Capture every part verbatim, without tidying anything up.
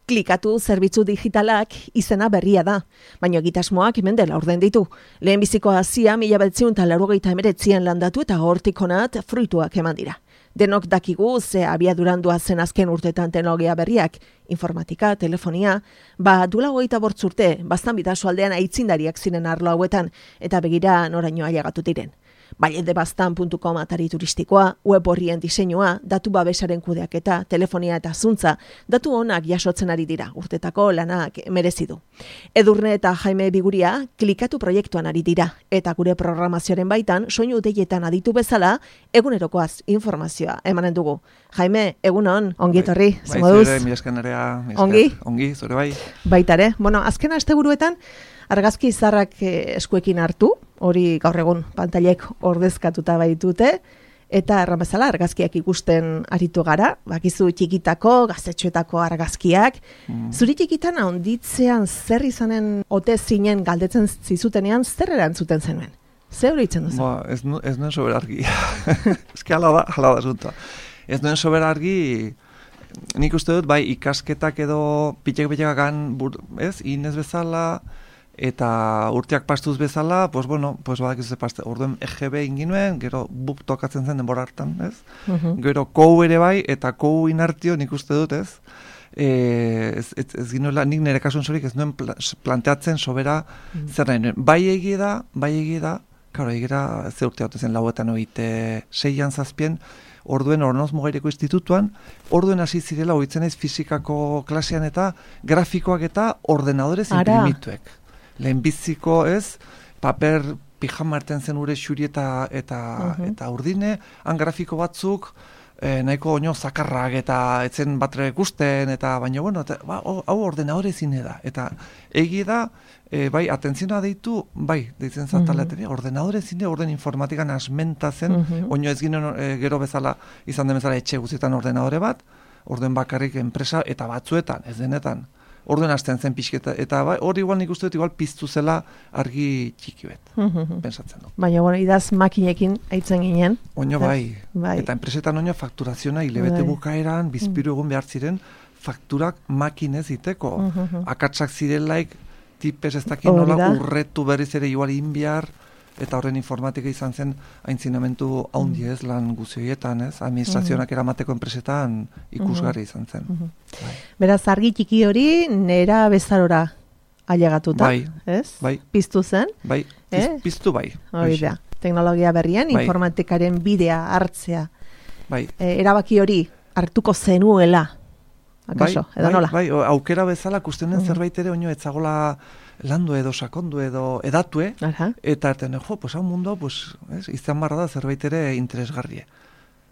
Klikatu zerbitzu digitalak izena berria da, baina egitasmoak hemen dela orden ditu. Lehenbiziko hazia mila bederatziehun eta laurogeita hemeretzian landatu eta hortik honat fruituak eman dira. Denok dakigu ze abiaduran doazen azken urtetan teknologia berriak, informatika, telefonia, ba duela hogeita bortz urte, bastan bidaso aldean aitzindariak ziren arlo hauetan, eta begira noraino ailegatu diren. Baiedebastan puntu com atari turistikoa, web horrien diseinua, datu babesaren kudeaketa, telefonia eta zuntza, datu onak jasotzen ari dira, urtetako lanak merezi du. Edurne eta Jaime Biguria klikatu proiektuan ari dira, eta gure programazioaren baitan, soinu deietan aditu bezala, egunerokoaz informazioa emanen dugu. Jaime, egunon, ongi etorri, bai, zengo duz? Bai, zure, mi esker nerea, mi esker. Ongi? Ongi, zure bai. Baitare, bueno, azken asteburuetan, argazki izarrak eskuekin hartu, hori gaur egun pantailek ordezkatuta baitute, eta erran bezala argazkiak ikusten aritu gara, bakizu txikitako, gaztetxoetako argazkiak. Mm. Zuri txikitan handitzean zer izanen ote zinen galdetzen zizutenean, zer erantzuten zenuen? Zer hori itzen duzu? Ba, ez, nu, ez nuen soberargi. Ez ki hala da, hala da zunta. Ez nuen soberargi, nik uste dut, bai, ikasketak edo pitek-pitekakan, ez, inez bezala, eta urteak pastuz bezala, pues bueno, pues badak ez paste. Orduen E G B inginuen, gero buk tokatzen zen denbora hartan, ez? Uh-huh. Gero kou ere bai, eta kou inartio nik uste dut, ez? E, ez, ez, ez ginuela, nik nire kasun zorik ez nuen planteatzen sobera uh-huh. zer nahi nuen. Bai egie da, bai egie da, karo, egie da, ze urte haute zen lauetan oite seian zazpien, orduen Ornoz Mugaireko institutuan, orduen hasi zirela oitzen ez fizikako klasean eta grafikoak eta ordenadorez imprimituek. Lehenbiziko ez, paper pijama erten zen ure xuri eta, eta, uh-huh. eta urdine, han grafiko batzuk, eh, nahiko oino zakarrak eta etzen batre ikusten, eta baina, bueno, eta, ba, hau ordenadore zine da. Eta egi da, eh, bai, atentzioa deitu, bai, deitzen zataleaten, uh-huh. ordenadore zine, orden informatikan asmenta zen, uh-huh. oino ez ginen eh, gero bezala, izan den bezala etxe guztietan ordenadore bat, orden bakarrik enpresa eta batzuetan, ez denetan. Orduen hasten zen pixketa, eta hori bai, igual nik uste dut igual piztu zela argi txiki bet, mm-hmm. pensatzen du. Baina, bueno, idaz makinekin aitzen ginen. Oino bai. bai, eta enpresetan oino fakturazioa hilebete bai. Bukaeran, bizpiru egun behar ziren, fakturak makinez iteko. Mm-hmm. Akatsak zirelaik, tipez ez dakin nola urretu berriz ere igual inbiar, eta horren informatika izan zen aintzinamentu haundi ez lan guzioietan, ez? Administrazionak eramateko enpresetan ikusgarri izan zen. Mm-hmm. Bai. Beraz, argi txiki hori nera bezarora ailegatuta, bai, ez? Bai. Piztu zen? Bai, eh? Piztu bai. Hori da, teknologia berrien, bai. Informatikaren bidea hartzea. Bai. E, erabaki hori hartuko zenuela, akaso, bai, edo bai, nola? Bai, aukera bezala kustenen mm. zerbait ere oino etzagola landu edo sakondu edo edatue, Aha. eta erten, jo, pues hau mundu, pues, ez, izan barra da zerbait ere interesgarrie.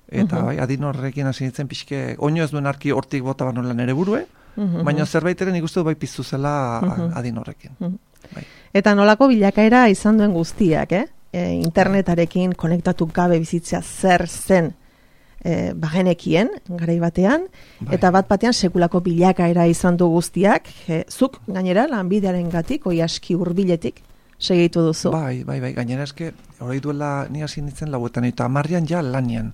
Eta, uh-huh. bai, adin horrekin hasi nintzen pixke, oino ez duen arki hortik bota banola nere burue, uh-huh. baina zerbait ere nik uste du bai piztu zela uh-huh. adin horrekin. Uh-huh. Bai. Eta nolako bilakaera izan duen guztiak, eh? E, internetarekin konektatu gabe bizitzea zer zen E, bagenekien, garai batean, bai. Eta bat batean sekulako bilakaera izan du guztiak, e, zuk gainera lanbidearen gatik, oi aski hurbiletik segitu duzu. Bai, bai, bai, gainera eske, hori duela ni hasi nintzen lauetan, eta amarrian ja lanian.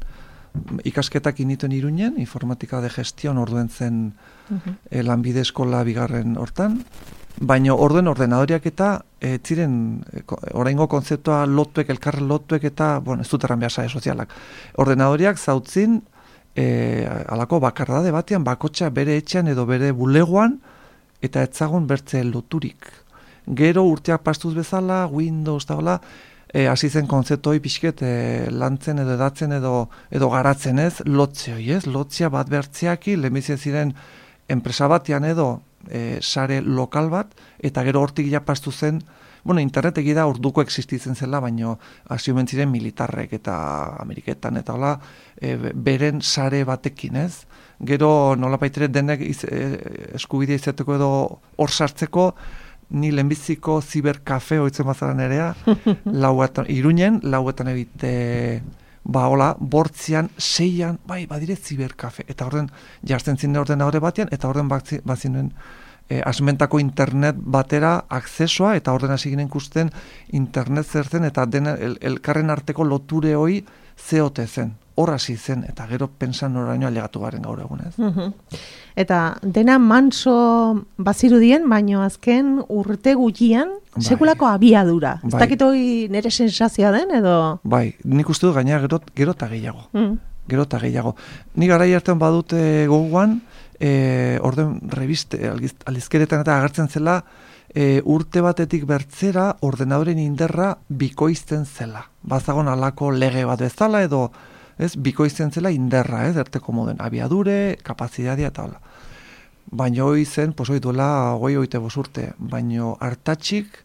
Ikasketak inituen Iruñen, informatika de gestion orduen zen uh-huh. e, lanbide eskola bigarren hortan, baina orduen ordenadoriak eta e, ziren e, oraingo kontzeptua lotuek, elkarren lotuek eta, bueno, ez dut erran behar sare sozialak. Ordenadoriak zautzin e, alako bakardade batean, bakotxa bere etxean edo bere bulegoan eta etzagon bertze loturik. Gero urteak pastuz bezala, Windows eta hola, e, hasi zen kontzeptoi pixket e, lantzen edo edatzen edo, edo garatzen ez, lotze hoi ez, lotzea bat bertzeaki, lehenbizien ziren enpresa batean edo E, sare lokal bat, eta gero hortik ja pastu zen, bueno, internet egida urduko existitzen zela, baino hasi omen ziren militarrek eta Ameriketan, eta hola, e, beren sare batekin, ez? Gero nola baitere denek iz, e, eskubidea izateko edo hor sartzeko, ni lehenbiziko ziberkafe hoitzen bazaran erea, lauetan, Iruñen, lauetan ebite ba, hola, bortzian, seian, bai, badire ziberkafe. Eta horren, jartzen zinen ordenadore batean, eta horren bazinen e, asmentako internet batera akzesoa, eta horren hasi ginen ikusten internet zer zen, eta den el, elkarren arteko loture hoi zeote zen. hor hasi zen, eta gero pensan noraino ailegatu garen gaur egun, ez? Mhm. Eta dena manso bazirudien, baino azken urte gutxian Bai. sekulako abiadura. Ez Bai. dakit hori nire sensazioa den, edo... Bai, nik uste dut gaina gero, gero eta gehiago. Mm. Gero eta gehiago. Nik garai hartan badut e, gogoan, e, orden reviste, aldizkeretan eta agertzen zela, e, urte batetik bertzera ordenadoren inderra bikoizten zela. Bazagon alako lege bat bezala edo, ez, bikoizten zela inderra, ez, erteko moden, abiadure, kapazidadia eta hola. Baina hoi zen, pues hoi duela goi oite bosurte, baina hartatxik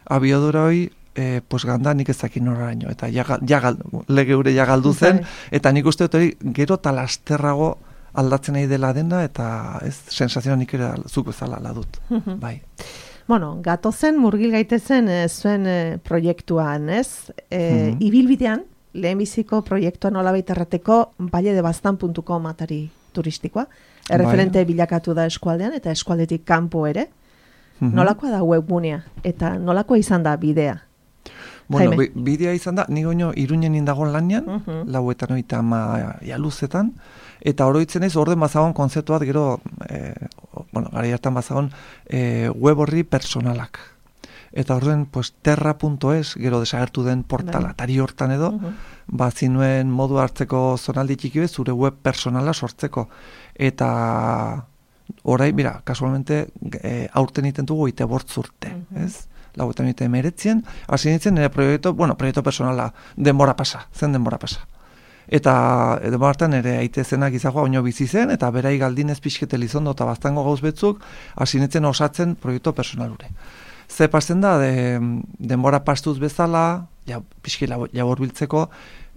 abiadura hoi, e, pues ganda nik ezakin noraino, eta jagal, jagal, lege ure jagaldu zen, eta nik uste dut hori gero talasterrago aldatzen nahi dela dena, eta ez, sensazioa nik ere zuk bezala ladut, bai. Bueno, gatozen murgil gaitezen e, zuen e, proiektuan, ez? E, Mhm. Ibilbidean, lehenbiziko proiektua nolabait errateko valledebastan puntu com atari turistikoa. Erreferente Bai. bilakatu da eskualdean eta eskualdetik kanpo ere. Mhm. Nolakoa da webgunea eta nolakoa izan da bidea? Bueno, Jaime. bi- bidea izan da, ni goino Iruñen indago lanean, Mhm. lauetan oita ama jaluzetan, eta oroitzen ez, orden bazagon konzeptu bat gero, e, bueno, gara hartan bazagon e, web horri personalak. Eta orduen, pues, terra punto es, gero desagertu den portala, Bai. tari hortan edo, Mhm. ba, zinuen modu hartzeko zonaldi txiki bez, zure web personala sortzeko. Eta orai, mira, kasualmente, e, aurten iten dugu ite bortz urte, Mhm. ez? Lauetan ite emeretzien, hasi nintzen nire proiektu, bueno, proiektu personala, denbora pasa, zen denbora pasa. Eta e, denbora hartan ere aite zenak izagoa oino bizi zen, eta berai galdinez pixkete lizondo eta baztango gauz betzuk, hasi nintzen osatzen proiektu personalure. Ze pasten da, de, denbora pastuz bezala, ja, pixki labor biltzeko,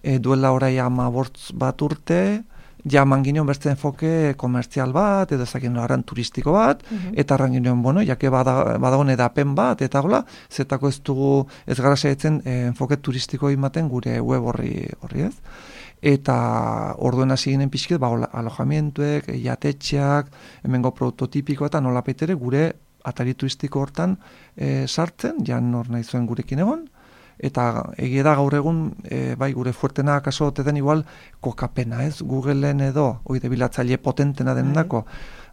e, duela orai ama bortz bat urte, ja mangineon beste enfoke komertzial bat, edo ezakin aran turistiko bat, Mhm. eta arrangineon, bueno, jake bada, badagon edapen bat, eta gola, zetako ez dugu, ez gara saiatzen e, enfoke turistiko imaten gure web horri, horri ez. Eta orduen hasi ginen pixket, ba, hola, alojamientuek, jatetxeak, hemengo prototipiko eta nolapaitere gure atari turistiko hortan e, sartzen, jan hor nahi zuen gurekin egon, eta egia da gaur egun, e, bai, gure fuertena kaso ote den igual kokapena, ez? Googleen edo, oide bilatzaile potentena denendako,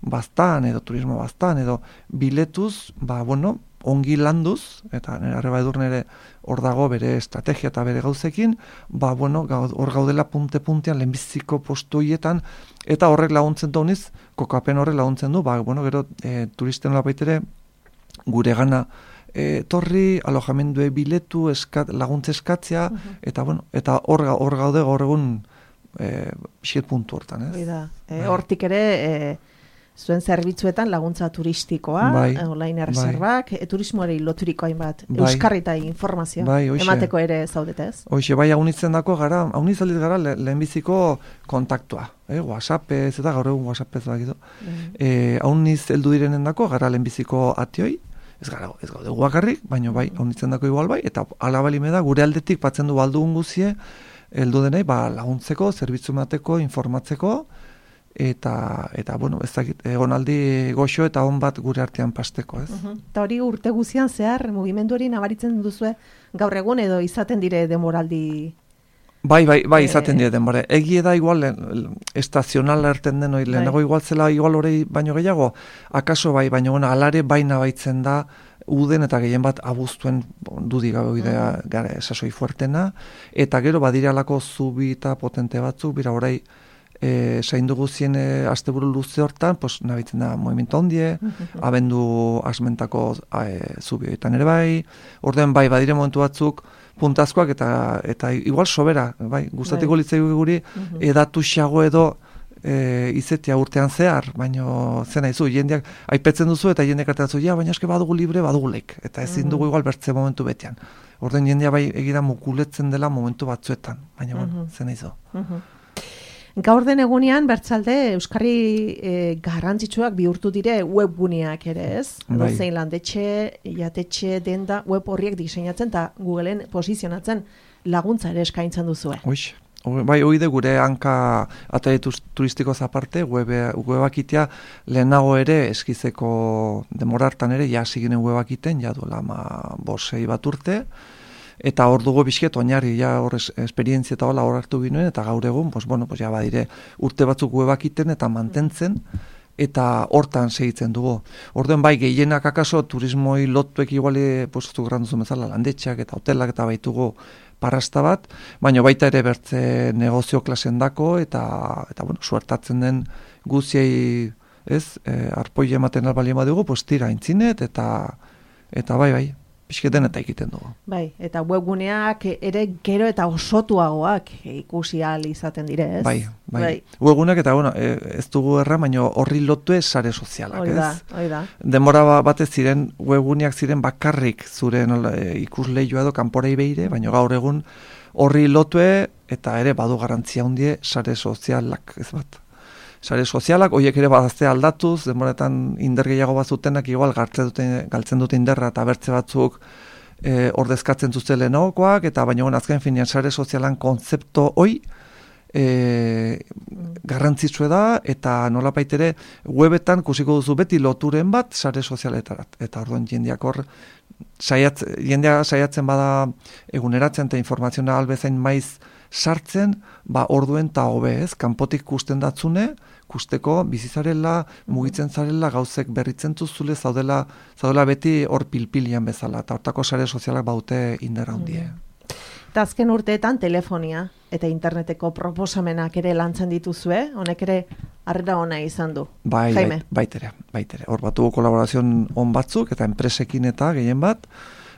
baztan edo turismo baztan edo biletuz, ba, bueno, ongi landuz, eta nire arreba edur nire hor dago bere estrategia eta bere gauzekin, ba, bueno, hor gaudela punte-puntean lehenbiziko postu hietan, eta horrek laguntzen du honiz, kokapen horrek laguntzen du, ba, bueno, gero e, turisten lapaitere gure gana e, torri, alojamendue biletu, eskat, laguntze eskatzea, Mhm. eta, bueno, eta hor, hor gaude gaur egun e, xiet puntu hortan, ez? Hori da. E, Bai. hortik ere, e, zuen zerbitzuetan laguntza turistikoa, Bai, e, online erreserbak, e, turismoari loturiko hainbat, Bai. euskarri eta informazio Bai, hoxe. emateko ere zaudete ez? Hoxe, bai, haunitzen dako gara, haunizaliz gara le, lehenbiziko kontaktua, eh? WhatsAppez, eta gaur egun WhatsAppez bakitu. E, hauniz heldu direnen dako, gara lehenbiziko atioi, ez gara, ez gaude guakarrik, baina bai, haunitzen dako igual bai, eta alabalime da, gure aldetik batzen du baldugun guzie, heldu denei, ba, laguntzeko, zerbitzu emateko, informatzeko, eta, eta bueno, ez dakit, egonaldi goxo eta on bat gure artean pasteko, ez? Mhm. Eta hori urte guzian zehar, mugimendu hori nabaritzen duzue gaur egun edo izaten dire demoraldi... Bai, bai, bai, Eh, izaten dira denbora. Egie da igual, le- estazionala erten den hori, lehenago igual zela igual hori baino gehiago, akaso bai, baino bueno, alare baina baitzen da, uden eta gehien bat abuztuen dudi gabe idea gara esasoi fuertena, eta gero badiralako zubi eta potente batzuk, bira orai, e, zaindu guzien e, asteburu luze hortan, pues, nabitzen da movimiento ondie, abendu asmentako e, zubi horietan ere bai, orden bai, badire momentu batzuk, puntazkoak eta eta igual sobera, bai, gustatiko Bai. litzaigu guri Mhm. edatu xago edo e, izetia urtean zehar, baino zena izu, jendeak aipetzen duzu eta jendeak artatzu, ja, baina eske badugu libre, badugu lek, eta ezin dugu igual bertze momentu betean. Orden jendea bai egira mukuletzen dela momentu batzuetan, baina bueno, Mhm. zena izu. Mhm. Gaur den egunean, bertzalde, Euskarri e, garrantzitsuak bihurtu dire webguneak ere, ez? Bai. Zein landetxe, jatetxe, denda, web horriek diseinatzen eta Googleen posizionatzen laguntza ere eskaintzen duzue. Hoix. Bai, oide gure hanka atari turistikoz aparte, webe, webakitea lehenago ere eskizeko demora hartan ere, ja hasi ginen webakiten, ja duela ma bosei bat urte, eta hor dugu bizket oinarri, ja hor es, esperientzia eta hola hor hartu ginoen, eta gaur egun, pues, bueno, pues, ja badire urte batzuk webak iten eta mantentzen, eta hortan segitzen dugu. Orduan bai, gehienak akaso turismoi lotuek iguali, pues, zu granduzu bezala, landetxeak eta hotelak eta baitugu parrasta bat, baina baita ere bertze negozio klasen dako, eta, eta bueno, suertatzen den guziei, ez, e, arpoi ematen albalien badugu, pues, tira intzinet, eta, eta bai, bai, pixketen eta egiten dugu. Bai, eta webguneak ere gero eta osotuagoak ikusi ahal izaten dire, ez? Bai, bai. bai. Webguneak eta, bueno, ez dugu erra, baina horri lotu ez sare sozialak, hoi da, ez? Hoi da. Demora batez ziren, webguneak ziren bakarrik zuren e, ikusleioa edo kanporei behire, baina gaur egun horri lotue eta ere badu garantzia hundie sare sozialak, ez bat. Sare sozialak, horiek ere badazte aldatuz, demoretan indar gehiago bat zutenak igual galtzen dute, galtzen dute inderra eta bertze batzuk e, ordezkatzen zuzte lehenagokoak, eta baina azken finean sare sozialan konzepto hoi e, garrantzitsue da, eta nolapait ere webetan kusiko duzu beti loturen bat sare sozialetarat. Eta orduan jendeak hor, saiatz, jendea saiatzen bada eguneratzen eta informazioa albezain maiz sartzen, ba orduen ta hobe, ez? Kanpotik kusten datzune, kusteko bizizarela, mugitzen zarela, gauzek berritzen zuzule, zaudela, zaudela beti hor pilpilian bezala, eta hortako sare sozialak baute indarra hundie. Eta azken urteetan telefonia eta interneteko proposamenak ere lantzen dituzue, honek ere harrera ona izan du. Bai, Jaime. Bai, baitere, baitere. Hor batugu kolaborazioan on batzuk, eta enpresekin eta gehien bat,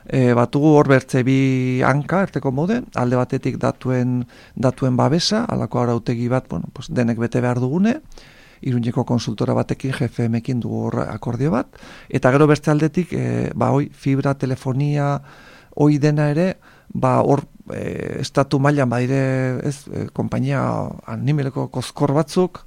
E, batugu hor bertze bi hanka erteko mode, alde batetik datuen datuen babesa, alako arautegi bat, bueno, pues denek bete behar dugune, Iruñeko konsultora batekin, G F M-ekin dugu hor akordio bat, eta gero beste aldetik, e, ba hoi, fibra, telefonia, hoi dena ere, ba hor e, estatu mailan badire, ez, e, konpainia animeleko kozkor batzuk,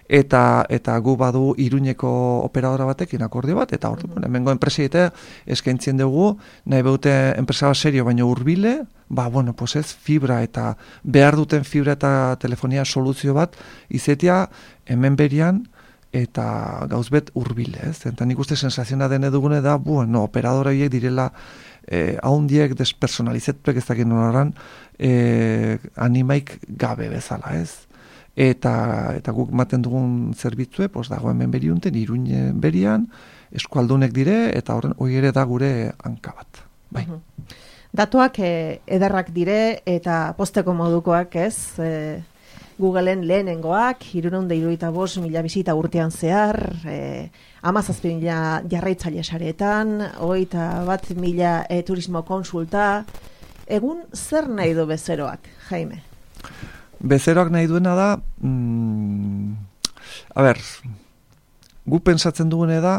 eta eta gu badu Iruñeko operadora batekin akordio bat, eta hor, mm-hmm. hemengo enpresei eta eskaintzen dugu, nahi beute enpresa serio baino hurbile, ba, bueno, pues ez, fibra eta behar duten fibra eta telefonia soluzio bat, izetia hemen berian, eta gauzbet hurbile, ez? Eta nik uste sensaziona dene dugune da, bueno, operadora horiek direla eh, haundiek despersonalizetuek ez dakit noraran, eh, animaik gabe bezala, ez? Eta, eta guk maten dugun zerbitzue, pues dago hemen beriunten, Iruñ berian, eskualdunek dire, eta horren hori ere da gure hanka bat. Bai. Uh-huh. Datuak eh, ederrak dire, eta posteko modukoak, ez? Eh, Googleen lehenengoak, hirurehun eta hirurogeita bost mila bisita urtean zehar, eh, hamazazpi mila jarraitzaile saretan, hogeita bat mila eh, turismo konsulta. Egun zer nahi du bezeroak, Jaime? Bezeroak nahi duena da, mm, a ber, gu pensatzen dugune da,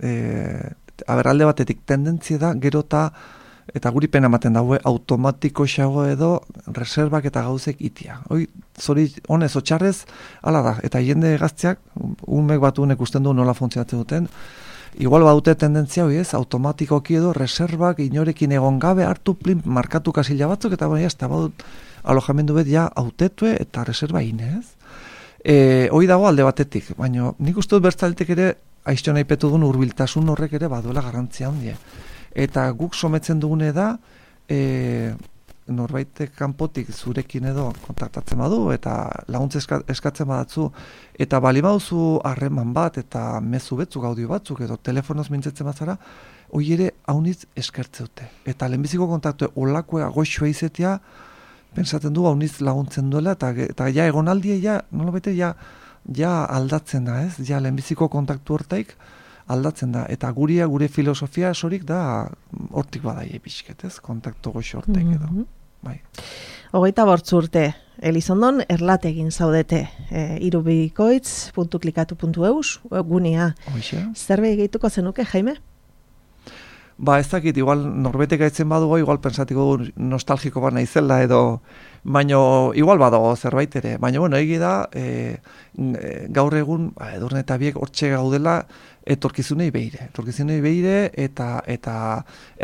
e, a ber, alde batetik tendentzia da, gero eta, eta guri pena ematen daue, automatiko xago edo, reservak eta gauzek itia. Hoi, zori, honez, otxarrez, ala da, eta jende gazteak, umek bat unek usten du nola funtzionatzen duten, igual badute tendentzia hoi ez, automatikoki edo, reservak inorekin egon gabe, hartu plin, markatu kasila batzuk, eta bai, ez, eta badut, alojamendu bet ja autetue eta reserva inez. E, hoi dago alde batetik, baina nik uste dut bertzaletik ere aiztio nahi petu duen urbiltasun horrek ere baduela garrantzia handie. Eta guk sometzen dugune da e, norbaitek kanpotik zurekin edo kontaktatzen badu eta laguntza eska, eskatzen badatzu eta bali baduzu harreman bat eta mezu betzuk audio batzuk edo telefonoz mintzetzen bazara, hoi ere haunitz eskertze dute. Eta lehenbiziko kontaktu olakoa goxoa izetea pensaten du hauniz laguntzen duela, eta, eta ja egonaldia, ja, nola bete, ja, ja aldatzen da, ez? Ja, lehenbiziko kontaktu hortaik aldatzen da. Eta guria, gure filosofia esorik da, hortik badaie pixket, ez? Kontaktu goxo hortaik edo. Mm-hmm. Bai. Hogeita bortz urte, Elizondon erlategin zaudete, e, irubikoitz puntu klikatu puntu eus, gunea. Hoxe. Zerbait gehituko zenuke, Jaime? Ba, ez dakit, igual norbetek aitzen badugu, igual pensatiko nostalgiko bat naizela edo, baino igual badago zerbait ere. Baina, bueno, egi da, e, gaur egun, ba, edurne eta biek hortxe gaudela, etorkizunei behire. Etorkizunei behire, eta eta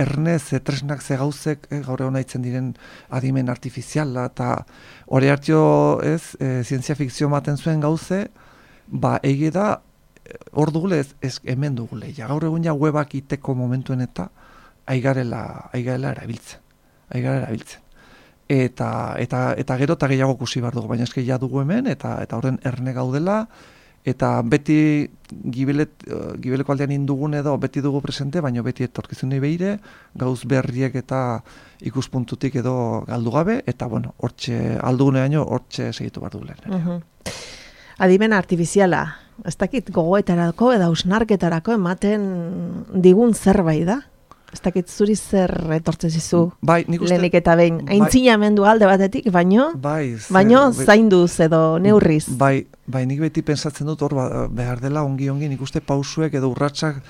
ernez, tresnak ze gauzek, e, gaur egun aitzen diren adimen artifiziala, eta hori hartio, ez, e, zientzia fikzio maten zuen gauze, ba, egi da, hor dugule ez, ez hemen dugule. Ja, gaur egun ja webak iteko momentuen eta aigarela, aigarela erabiltzen. ari gara erabiltzen. Eta, eta, eta gero eta gehiago kusi behar dugu, baina eske ja dugu hemen, eta eta horren erne gaudela, eta beti gibelet, gibeleko aldean indugun edo beti dugu presente, baina beti etorkizunei behire, gauz berriek eta ikuspuntutik edo galdu gabe, eta bueno, hortxe, alduguneaino hortxe segitu behar dugu lehen. Uh-huh. Adimen artifiziala, ez dakit gogoetarako edo ausnarketarako ematen digun zerbait da? Ez dakit zuri zer etortzen zizu bai, lehenik eta behin. Aintzinamendu alde batetik, baino, bai, baino zainduz edo neurriz. Bai, bai, nik beti pensatzen dut hor behar dela ongi-ongi nik uste pausuek edo urratsak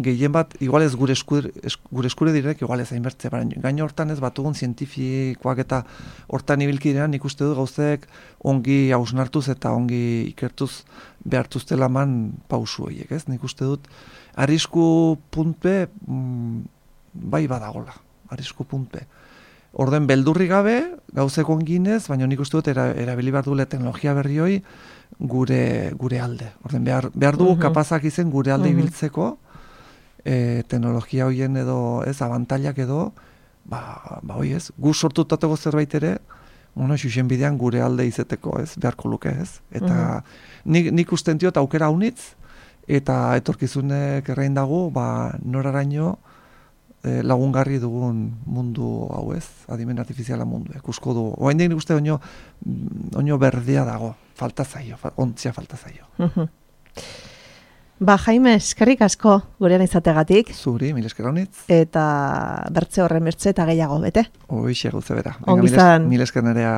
gehien bat, igual ez gure eskure, gure eskure direk, igual ez hainbertze, baina gaino hortan ez batugun zientifikoak eta hortan ibilkidean nik uste dut gauzek ongi hausnartuz eta ongi ikertuz behartuztela man pausu horiek, ez? Nik uste dut arrisku puntpe mm, bai badagola, arrisku puntpe. Orden beldurri gabe, gauzeko onginez, baina nik uste dut era, erabili behar duela teknologia berri hoi gure, gure alde. Orden behar, behar dugu uh-huh. kapazak izen gure alde uh-huh. ibiltzeko, e, teknologia hoien edo, ez, abantailak edo, ba, ba hoi ez, gu sortutateko zerbait ere, bueno, xuxen bidean gure alde izeteko, ez, beharko luke, ez. Eta uh-huh. nik, nik usten diot aukera unitz, eta etorkizunek errein dago, ba, noraraino e, lagungarri dugun mundu hau ez, adimen artifiziala mundu, ikusko du. Oain nik uste oino, oino berdea dago, falta zaio, ontzia falta zaio. Uh-huh. Ba, Jaime, eskerrik asko gurean izategatik. Zuri, mil esker honitz. Eta bertze horren bertze eta gehiago, bete? Hoixe gauze bera. Ongizan. Mil esker nerea.